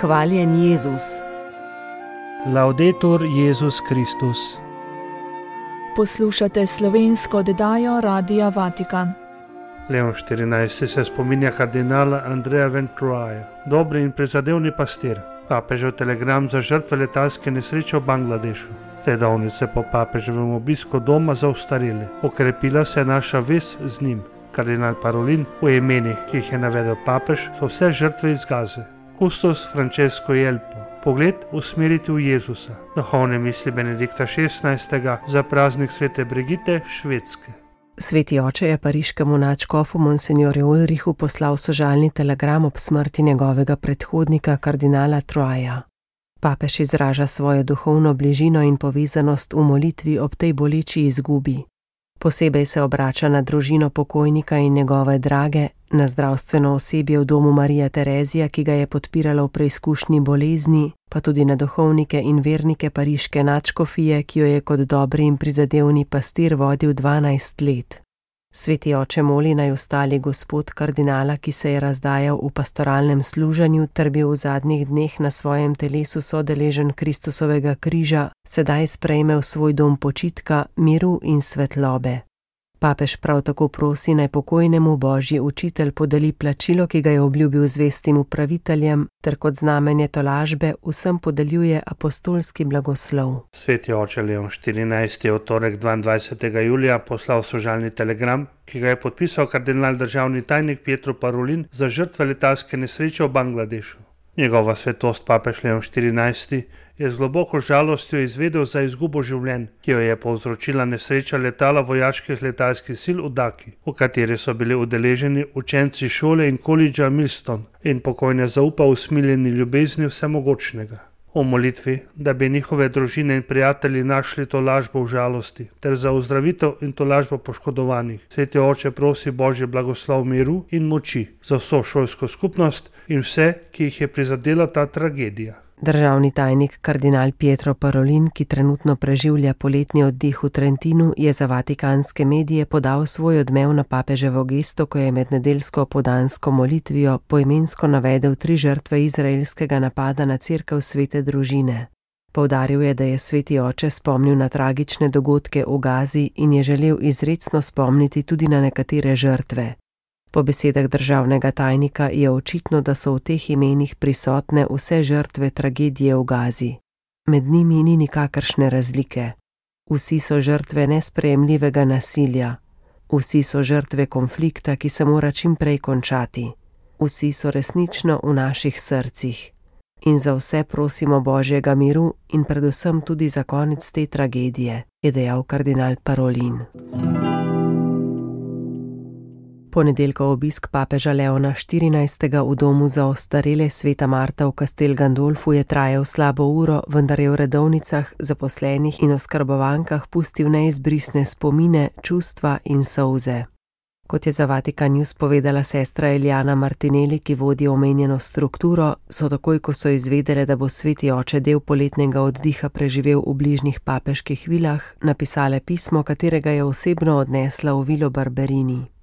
Hvaljen Jezus. Laudetur Jezus Kristus. Poslušate slovensko oddajo Radia Vatikan. Leon XIV. Se spominja kardinala Andreja Venturaya, dobri in prizadevni pastir. Papežev telegram za žrtve letalske nesreče v Bangladešu. Redovnice po papeževem obisku doma za ostarele. Okrepila se je naša vez z njim. Kardinal Parolin v imenih, ki jih je navedel papež, so vse žrtve iz Gaze. Kustos Francesco Jelpo. Pogled usmeriti v Jezusa. Duhovne misli Benedikta XVI. Za praznik svete Brigite Švedske. Sveti oče je pariškemu nadškofu monsinjorju Ulrichu poslal sožalni telegram ob smrti njegovega predhodnika kardinala Troaja. Papež izraža svojo duhovno bližino in povezanost v molitvi ob tej boleči izgubi. Posebej se obrača na družino pokojnika in njegove drage, na zdravstveno osebje v domu Marija Terezija, ki ga je podpirala v preizkušnji bolezni, pa tudi na duhovnike in vernike pariške nadškofije, ki jo je kot dobri in prizadevni pastir vodil 12 let. Sveti oče moli naj ostali gospod kardinala, ki se je razdajal v pastoralnem služenju ter bil v zadnjih dneh na svojem telesu sodeležen Kristusovega križa, sedaj sprejme v svoj dom počitka, miru in svetlobe. Papež prav tako prosi naj pokojnemu božji učitelj podeli plačilo, ki ga je obljubil zvestim upraviteljem, ter kot znamenje tolažbe vsem podeljuje apostolski blagoslov. Sveti oče Leon XIV. Je v torek 22. julija poslal sožalni telegram, ki ga je podpisal kardinal državni tajnik Pietro Parolin za žrtve letalske nesreče v Bangladešu. Njegova svetost papež Leon XIV. Je z globoko žalostjo izvedel za izgubo življenj, ki jo je povzročila nesreča letala vojaških letalskih sil v Daki, v kateri so bili udeleženi učenci šole in koledža Millstone, in pokojne zaupa usmiljeni ljubezni vsemogočnega. O molitvi, da bi njihove družine in prijatelji našli tolažbo v žalosti, ter za ozdravitev in tolažbo poškodovanih. Sveti oče prosi božji blagoslov miru in moči za vso šolsko skupnost in vse, ki jih je prizadela ta tragedija. Državni tajnik kardinal Pietro Parolin, ki trenutno preživlja poletni oddih v Trentinu, je za vatikanske medije podal svoj odmev na papeževo gesto, ko je med nedeljsko opoldansko molitvijo poimensko navedel 3 žrtve izraelskega napada na cerkev svete družine. Poudaril je, da je sveti oče spomnil na tragične dogodke v Gazi in je želel izrecno spomniti tudi na nekatere žrtve. Po besedah državnega tajnika je očitno, da so v teh imenih prisotne vse žrtve tragedije v Gazi. Med njimi ni nikakršne razlike. Vsi so žrtve nesprejemljivega nasilja. Vsi so žrtve konflikta, ki se mora čim prej končati. Vsi so resnično v naših srcih. In za vse prosimo božjega miru in predvsem tudi za konec te tragedije, je dejal kardinal Parolin. Ponedeljkov obisk papeža Leona XIV. V domu za ostarele Sveta Marta v Castel Gandolfu je trajal slabo uro, vendar je v redovnicah, zaposlenih in oskrbovankah pustil neizbrisne spomine, čustva in solze. Kot je za Vatikan News povedala sestra Eliana Martinelli, ki vodi omenjeno strukturo, so takoj, ko so izvedele, da bo sveti oče del poletnega oddiha preživel v bližnjih papeških vilah, napisale pismo, katerega je osebno odnesla v vilo Barberini.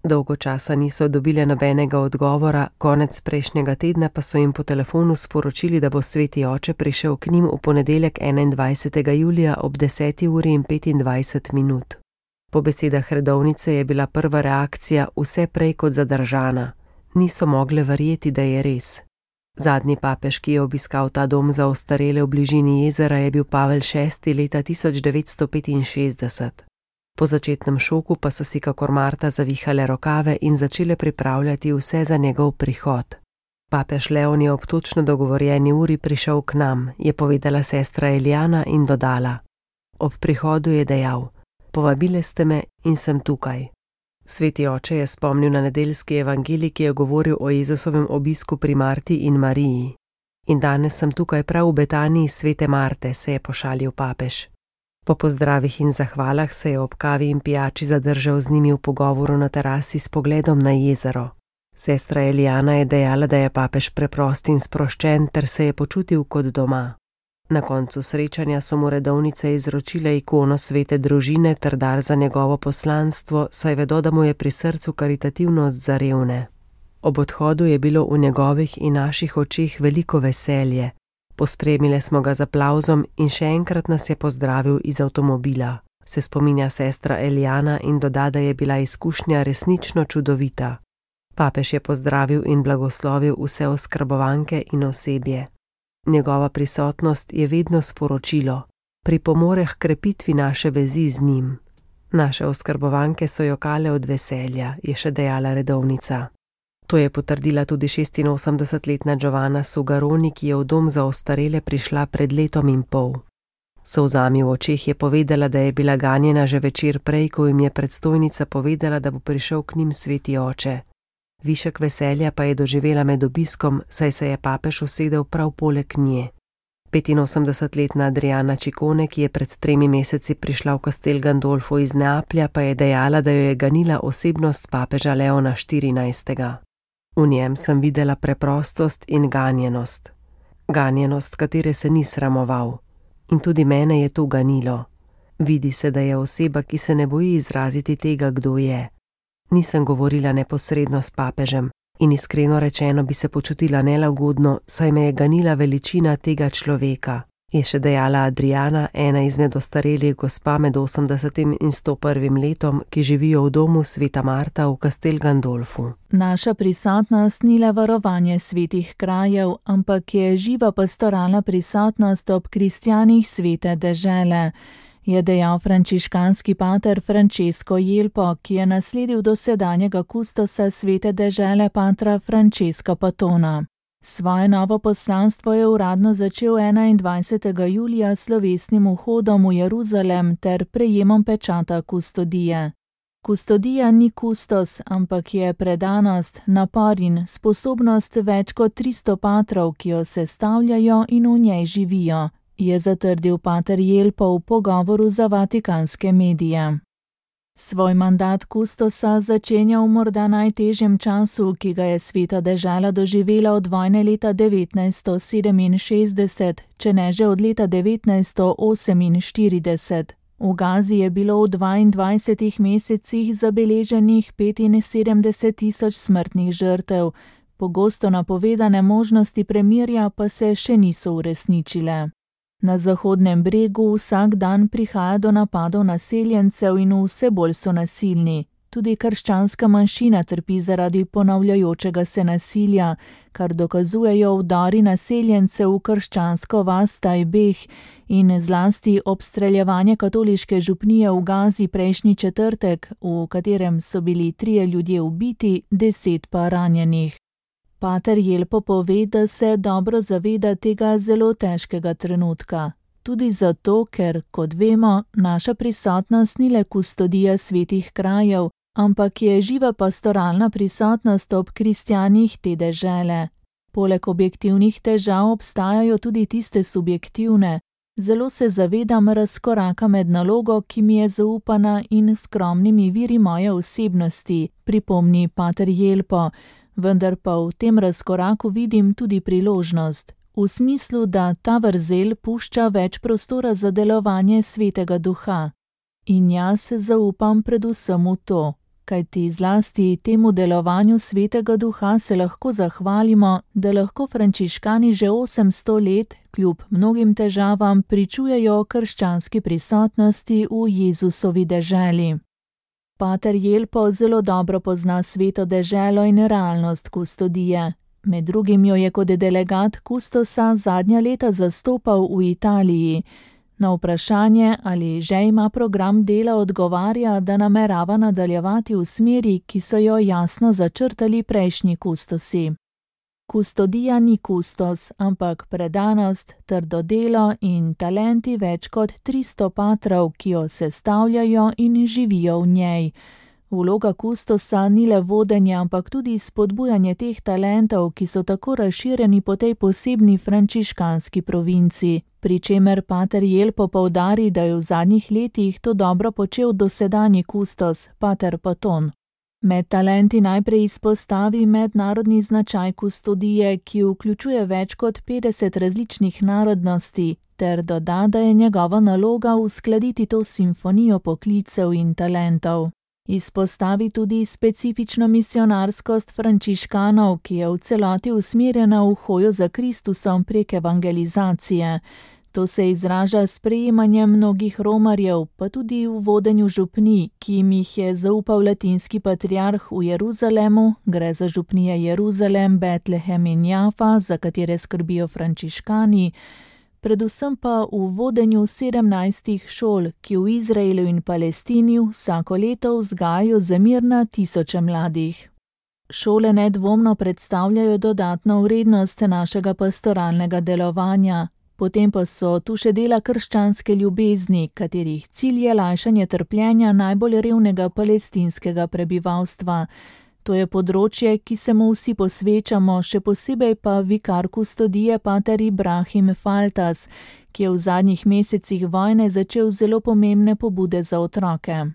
Dolgo časa niso dobile nobenega odgovora, konec prejšnjega tedna pa so jim po telefonu sporočili, da bo sveti oče prišel k njim v ponedeljek 21. julija ob 10:25. Po besedah redovnice je bila prva reakcija vse prej kot zadržana. Niso mogle verjeti, da je res. Zadnji papež, ki je obiskal ta dom za ostarele v bližini jezera, je bil Pavel VI. Leta 1965. Po začetnem šoku pa so si kakor Marta zavihale rokave in začele pripravljati vse za njegov prihod. Papež Leon je ob točno dogovorjeni uri prišel k nam, je povedala sestra Eliana in dodala: Ob prihodu je dejal: Povabile ste me in sem tukaj. Sveti oče je spomnil na nedeljski evangelij, ki je govoril o Jezusovem obisku pri Marti in Mariji. In danes sem tukaj prav v Betaniji svete Marte, se je pošalil papež. Po pozdravih in zahvalah se je ob kavi in pijači zadržal z njimi v pogovoru na terasi s pogledom na jezero. Sestra Eliana je dejala, da je papež preprost in sproščen ter se je počutil kot doma. Na koncu srečanja so mu redovnice izročile ikono svete družine ter dar za njegovo poslanstvo, saj vedo, da mu je pri srcu karitativnost za revne. Ob odhodu je bilo v njegovih in naših očeh veliko veselje. Pospremile smo ga z aplavzom in še enkrat nas je pozdravil iz avtomobila, se spominja sestra Elijana in doda, da je bila izkušnja resnično čudovita. Papež je pozdravil in blagoslovil vse oskrbovanke in osebje. Njegova prisotnost je vedno sporočilo, pripomore h krepitvi naše vezi z njim. Naše oskrbovanke so jokale od veselja, je še dejala redovnica. To je potrdila tudi 86-letna Giovanna Sugaroni, ki je v dom za ostarele prišla pred letom in pol. S solzami v očeh je povedala, da je bila ganjena že večer prej, ko jim je predstojnica povedala, da bo prišel k njim sveti oče. Višek veselja pa je doživela med obiskom, saj se je papež usedel prav poleg nje. 85-letna Adriana Ciccone, ki je pred 3 meseci prišla v Castel Gandolfo iz Neaplja, pa je dejala, da jo je ganila osebnost papeža Leona XIV. V njem sem videla preprostost in ganjenost. Ganjenost, katere se ni sramoval. In tudi mene je to ganilo. Vidi se, da je oseba, ki se ne boji izraziti tega, kdo je. Nisem govorila neposredno s papežem in iskreno rečeno bi se počutila nelagodno, saj me je ganila veličina tega človeka, je še dejala Adriana, ena izmed ostarelih gospa med 80. in 101. letom, ki živijo v domu sveta Marta v Castel Gandolfu. Naša prisotnost ni le varovanje svetih krajev, ampak je živa pastoralna prisotnost ob kristjanih svete dežele, je dejal frančiškanski pater Francesco Jelpo, ki je nasledil dosedanjega kustosa svete dežele patra Francesca Patona. Svoje novo poslanstvo je uradno začel 21. julija s slovesnim vhodom v Jeruzalem ter prejemom pečata kustodije. Kustodija ni kustos, ampak je predanost, napor in sposobnost več kot 300 patrov, ki jo sestavljajo in v njej živijo, je zatrdil pater Jelpo v pogovoru za vatikanske medije. Svoj mandat kustosa začenja v morda najtežjem času, ki ga je sveta dežela doživela od vojne leta 1967, če ne že od leta 1948. V Gazi je bilo v 22 mesecih zabeleženih 75.000 smrtnih žrtev, pogosto napovedane možnosti premirja pa se še niso uresničile. Na Zahodnem bregu vsak dan prihaja do napadov naseljencev in vse bolj so nasilni. Tudi krščanska manjšina trpi zaradi ponavljajočega se nasilja, kar dokazujejo vdori naseljencev v krščansko vas Tajbeh in zlasti obstreljevanje katoliške župnije v Gazi prejšnji četrtek, v katerem so bili 3 ljudje ubiti, 10 pa ranjenih. Pater Jelpo pove, da se dobro zaveda tega zelo težkega trenutka. Tudi zato, ker, kot vemo, naša prisotnost ni le kustodija svetih krajev, ampak je živa pastoralna prisotnost ob kristjanih te dežele. Poleg objektivnih težav obstajajo tudi tiste subjektivne. Zelo se zavedam razkoraka med nalogo, ki mi je zaupana, in skromnimi viri moje osebnosti, pripomni pater Jelpo. Vendar pa v tem razkoraku vidim tudi priložnost, v smislu, da ta vrzel pušča več prostora za delovanje svetega duha. In jaz zaupam predvsem v to, kajti zlasti temu delovanju svetega duha se lahko zahvalimo, da lahko frančiškani že 800 let, kljub mnogim težavam, pričujejo o krščanski prisotnosti v Jezusovi deželi. Pater Jelpo zelo dobro pozna sveto deželo in realnost kustodije. Med drugim jo je kot delegat kustosa zadnja leta zastopal v Italiji. Na vprašanje, ali že ima program dela, odgovarja, da namerava nadaljevati v smeri, ki so jo jasno začrtali prejšnji kustosi. Kustodija ni kustos, ampak predanost, trdo delo in talenti več kot 300 patrov, ki jo sestavljajo in živijo v njej. Vloga kustosa ni le vodenje, ampak tudi spodbujanje teh talentov, ki so tako razširjeni po tej posebni frančiškanski provinci, pri čemer pater Jelpo poudari, da je v zadnjih letih to dobro počel dosedanji kustos, pater Paton. Med talenti najprej izpostavi mednarodni značaj kustodije, ki vključuje več kot 50 različnih narodnosti, ter doda, da je njegova naloga uskladiti to simfonijo poklicev in talentov. Izpostavi tudi specifično misionarskost frančiškanov, ki je v celoti usmerjena v hojo za Kristusom prek evangelizacije. To se izraža s sprejemanjem mnogih romarjev, pa tudi v vodenju župnij, ki jim jih je zaupal latinski patriarh v Jeruzalemu, gre za župnije Jeruzalem, Betlehem in Jafa, za katere skrbijo frančiškani, predvsem pa v vodenju 17 šol, ki v Izraelu in Palestini vsako leto vzgajajo za mir na tisoče mladih. Šole nedvomno predstavljajo dodatno vrednost našega pastoralnega delovanja. Potem pa so tu še dela krščanske ljubezni, katerih cilj je lajšanje trpljenja najbolj revnega palestinskega prebivalstva. To je področje, ki se mu vsi posvečamo, še posebej pa vikar kustodije pater Ibrahim Faltas, ki je v zadnjih mesecih vojne začel zelo pomembne pobude za otroke.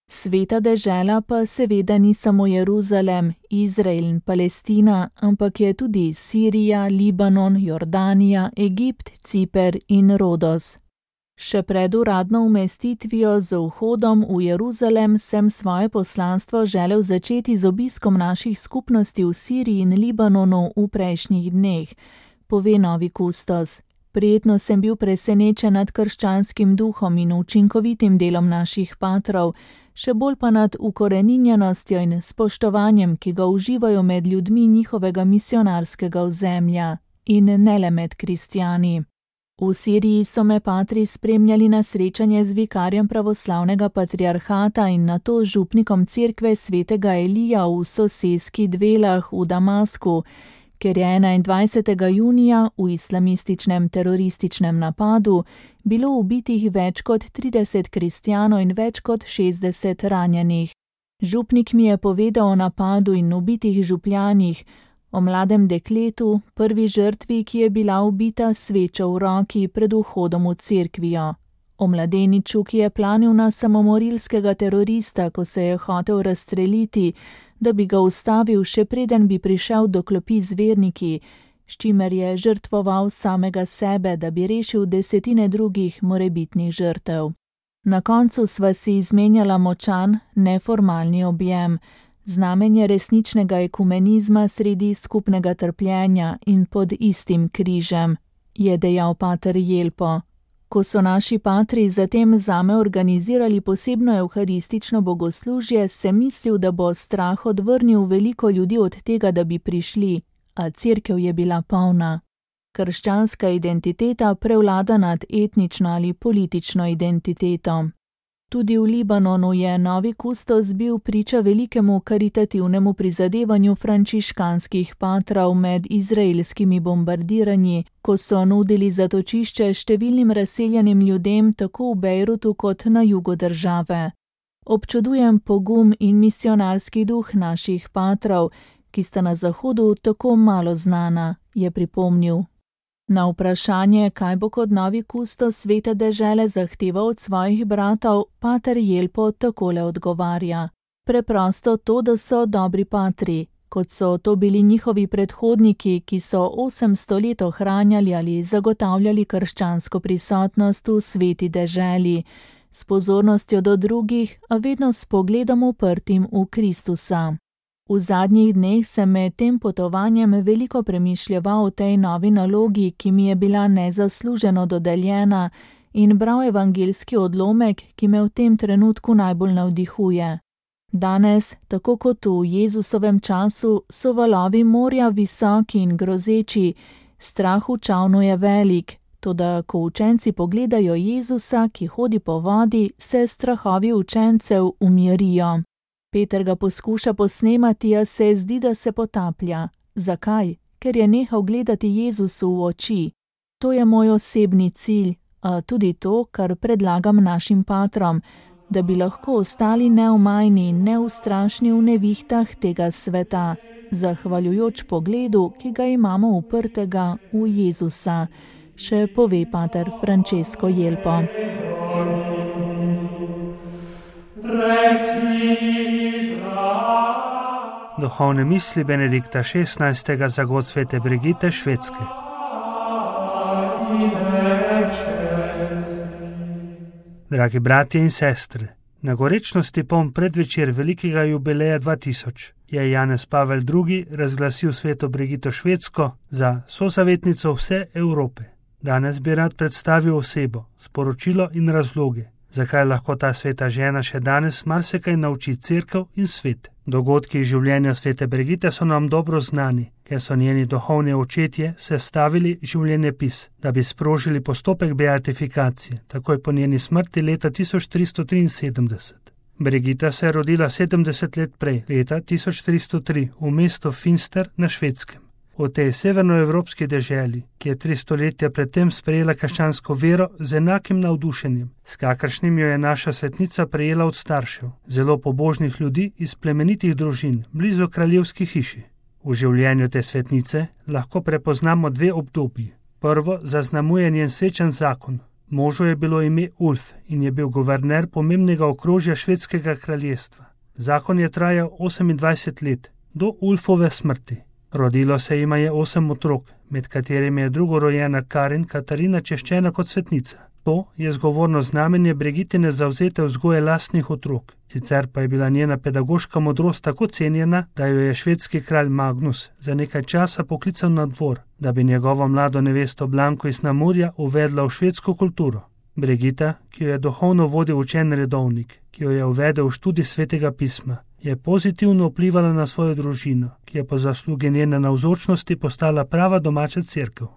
Sveta dežela pa seveda ni samo Jeruzalem, Izrael in Palestina, ampak je tudi Sirija, Libanon, Jordanija, Egipt, Ciper in Rodos. Še pred uradno umestitvijo z vhodom v Jeruzalem sem svoje poslanstvo želel začeti z obiskom naših skupnosti v Siriji in Libanonu v prejšnjih dneh, pove novi kustos. Prijetno sem bil presenečen nad krščanskim duhom in učinkovitim delom naših patrov, še bolj pa nad ukoreninjenostjo in spoštovanjem, ki ga uživajo med ljudmi njihovega misionarskega ozemlja in ne le med kristjani. V Siriji so me patri spremljali na srečanje z vikarjem pravoslavnega patriarhata in nato župnikom cerkve svetega Elija v soseski Dvelah v Damasku, ker je 21. junija v islamističnem terorističnem napadu bilo ubitih več kot 30 kristjanov in več kot 60 ranjenih. Župnik mi je povedal o napadu in ubitih župljanih, o mladem dekletu, prvi žrtvi, ki je bila ubita s svečo v roki pred vhodom v cerkvijo, o mladeniču, ki je planil na samomorilskega terorista, ko se je hotel razstreliti, da bi ga ustavil, še preden bi prišel do klopi z verniki, s čimer je žrtvoval samega sebe, da bi rešil desetine drugih morebitnih žrtev. Na koncu sva si izmenjala močan, neformalni objem, znamenje resničnega ekumenizma sredi skupnega trpljenja in pod istim križem, je dejal pater Jelpo. Ko so naši patri zatem zame organizirali posebno evharistično bogoslužje, sem mislil, da bo strah odvrnil veliko ljudi od tega, da bi prišli, a cerkev je bila polna. Krščanska identiteta prevlada nad etnično ali politično identiteto. Tudi v Libanonu je novi kustos bil priča velikemu karitativnemu prizadevanju frančiškanskih patrov med izraelskimi bombardiranji, ko so nudili zatočišče številnim razseljenim ljudem tako v Bejrutu kot na jugu države. Občudujem pogum in misionarski duh naših patrov, ki sta na zahodu tako malo znana, je pripomnil. Na vprašanje, kaj bo kot novi kustos svete dežele zahteval od svojih bratov, pater Jelpo takole odgovarja. Preprosto to, da so dobri patri, kot so to bili njihovi predhodniki, ki so 800 let ohranjali ali zagotavljali krščansko prisotnost v sveti deželi, s pozornostjo do drugih, a vedno s pogledom uprtim v Kristusa. V zadnjih dneh sem med tem potovanjem veliko premišljeval o tej novi nalogi, ki mi je bila nezasluženo dodeljena, in bral evangeljski odlomek, ki me v tem trenutku najbolj navdihuje. Danes, tako kot v Jezusovem času, so valovi morja visoki in grozeči, strah v čavnu je velik, toda ko učenci pogledajo Jezusa, ki hodi po vodi, se strahovi učencev umirijo. Peter ga poskuša posnemati, a se zdi, da se potaplja. Zakaj? Ker je nehal gledati Jezusu v oči. To je moj osebni cilj, a tudi to, kar predlagam našim patrom, da bi lahko ostali neomajni in neustrašni v nevihtah tega sveta, zahvaljujoč pogledu, ki ga imamo uprtega v Jezusa, še pove pater Francesco Jelpo. Duhovne misli Benedikta XVI. Za god svete Brigite, Švedske. Dragi bratje in sestre, Na gorečnosti poln predvečer velikega jubileja 2000 je Janez Pavel II. Razglasil sveto Brigito Švedsko za sozavetnico vse Evrope. Danes bi rad predstavil osebo, sporočilo in razloge, zakaj lahko ta sveta žena še danes marsikaj nauči cerkev in svet. Dogodki iz življenja svete Brigite so nam dobro znani, ker so njeni duhovni očetje sestavili življenjepis, da bi sprožili postopek beatifikacije, takoj po njeni smrti leta 1373. Brigita se je rodila 70 let prej, leta 1303, v mestu Finster na Švedskem. V tej severnoevropski deželi, ki je 3 stoletja predtem sprejela krščansko vero z enakim navdušenjem, s kakršnim jo je naša svetnica prejela od staršev, zelo pobožnih ljudi iz plemenitih družin, blizu kraljevski hiši. V življenju te svetnice lahko prepoznamo 2 obdobji. Prvo zaznamuje njen srečen zakon. Možu je bilo ime Ulf in je bil guverner pomembnega okrožja švedskega kraljestva. Zakon je trajal 28 let, do Ulfove smrti. Rodilo se jima je 8 otrok, med katerimi je drugorojena Karin Katarina češčena kot svetnica. To je zgovorno znamenje Brigitine zavzete vzgoje lastnih otrok. Sicer pa je bila njena pedagoška modrost tako cenjena, da jo je švedski kralj Magnus za nekaj časa poklical na dvor, da bi njegovo mlado nevesto Blanko iz Namurja uvedla v švedsko kulturo. Brigita, ki jo je duhovno vodil učen redovnik, ki jo je uvedel v študij svetega pisma, je pozitivno vplivala na svojo družino, ki je po zaslugi njene navzočnosti postala prava domača cerkev.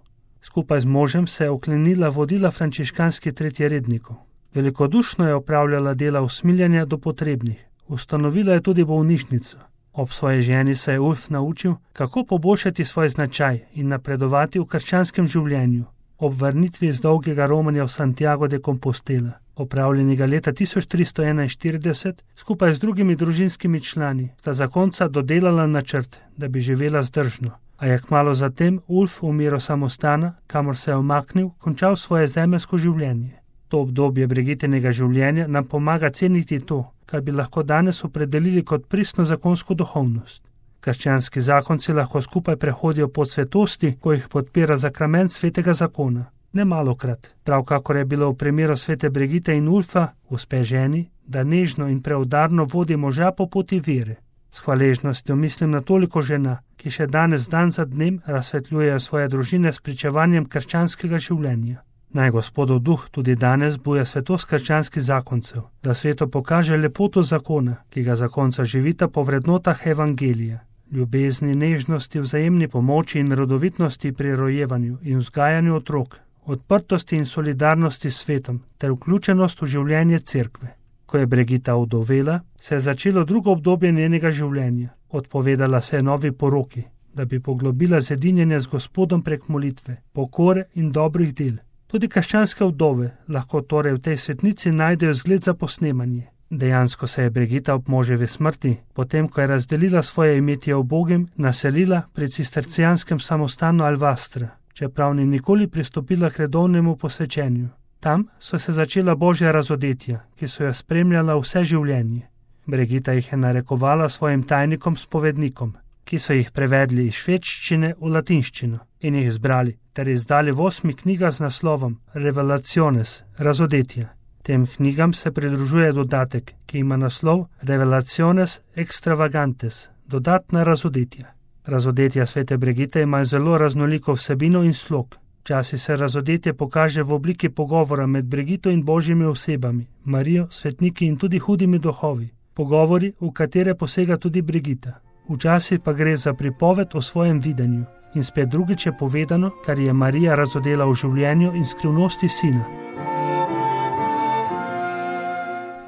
Skupaj z možem se je oklenila vodila frančiškanskih tretjerednikov. Velikodušno je opravljala dela usmiljanja do potrebnih. Ustanovila je tudi bolnišnico. Ob svoji ženi se je Ulf naučil, kako poboljšati svoj značaj in napredovati v krščanskem življenju. Ob vrnitvi iz dolgega romanja v Santiago de Compostela, opravljenega leta 1341, skupaj z drugimi družinskimi člani, sta zakonca dodelala načrt, da bi živela zdržno. A je kmalu zatem Ulf v miru samostana, kamor se je umaknil, končal svoje zemeljsko življenje. To obdobje Brigitinega življenja nam pomaga ceniti to, kar bi lahko danes opredelili kot pristno zakonsko duhovnost. Krščanski zakonci lahko skupaj prehodijo pot svetosti, ko jih podpira sakrament svetega zakona. Nemalokrat, prav kakor je bilo v primeru svete Brigite in Ulfa, uspe ženi, da nežno in preudarno vodi moža po poti vere. S hvaležnostjo mislim na toliko žena, ki še danes dan za dnem razsvetljujejo svoje družine s pričevanjem krščanskega življenja. Naj Gospodov duh tudi danes buja svetost krščanskih zakoncev, da svetu pokaže lepoto zakona, ki ga zakonca živita po vrednotah evangelija, ljubezni, nežnosti, vzajemni pomoči in rodovitnosti pri rojevanju in vzgajanju otrok, odprtosti in solidarnosti s svetom ter vključenost v življenje cerkve. Ko je Brigita ovdovela, se je začelo drugo obdobje njenega življenja. Odpovedala se je novi poroki, da bi poglobila zedinjenje z Gospodom prek molitve, pokore in dobrih del. Tudi krščanske vdove lahko torej v tej svetnici najdejo zgled za posnemanje. Dejansko se je Brigita ob moževi smrti, potem ko je razdelila svoje imetje ubogim, naselila pri cistercijanskem samostanu Alvastra, čeprav ni nikoli pristopila k redovnemu posvečenju. Tam so se začela božja razodetja, ki so jo spremljala vse življenje. Brigita jih je narekovala svojim tajnikom spovednikom, ki so jih prevedli iz švedščine v latinščino in jih zbrali ter izdali v 8 knjigah z naslovom Revelaciones, razodetja. Tem knjigam se pridružuje dodatek, ki ima naslov Revelaciones extravagantes, dodatna razodetja. Razodetja svete Brigite imajo zelo raznoliko vsebino in slog. Včasih se razodetje pokaže v obliki pogovora med Brigito in božjimi osebami, Marijo, svetniki in tudi hudimi duhovi. Pogovori, v katere posega tudi Brigita. Včasih pa gre za pripoved o svojem videnju. In spet drugič je povedano, kar je Marija razodela v življenju in skrivnosti sina.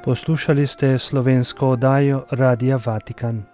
Poslušali ste slovensko oddajo Radia Vatikan.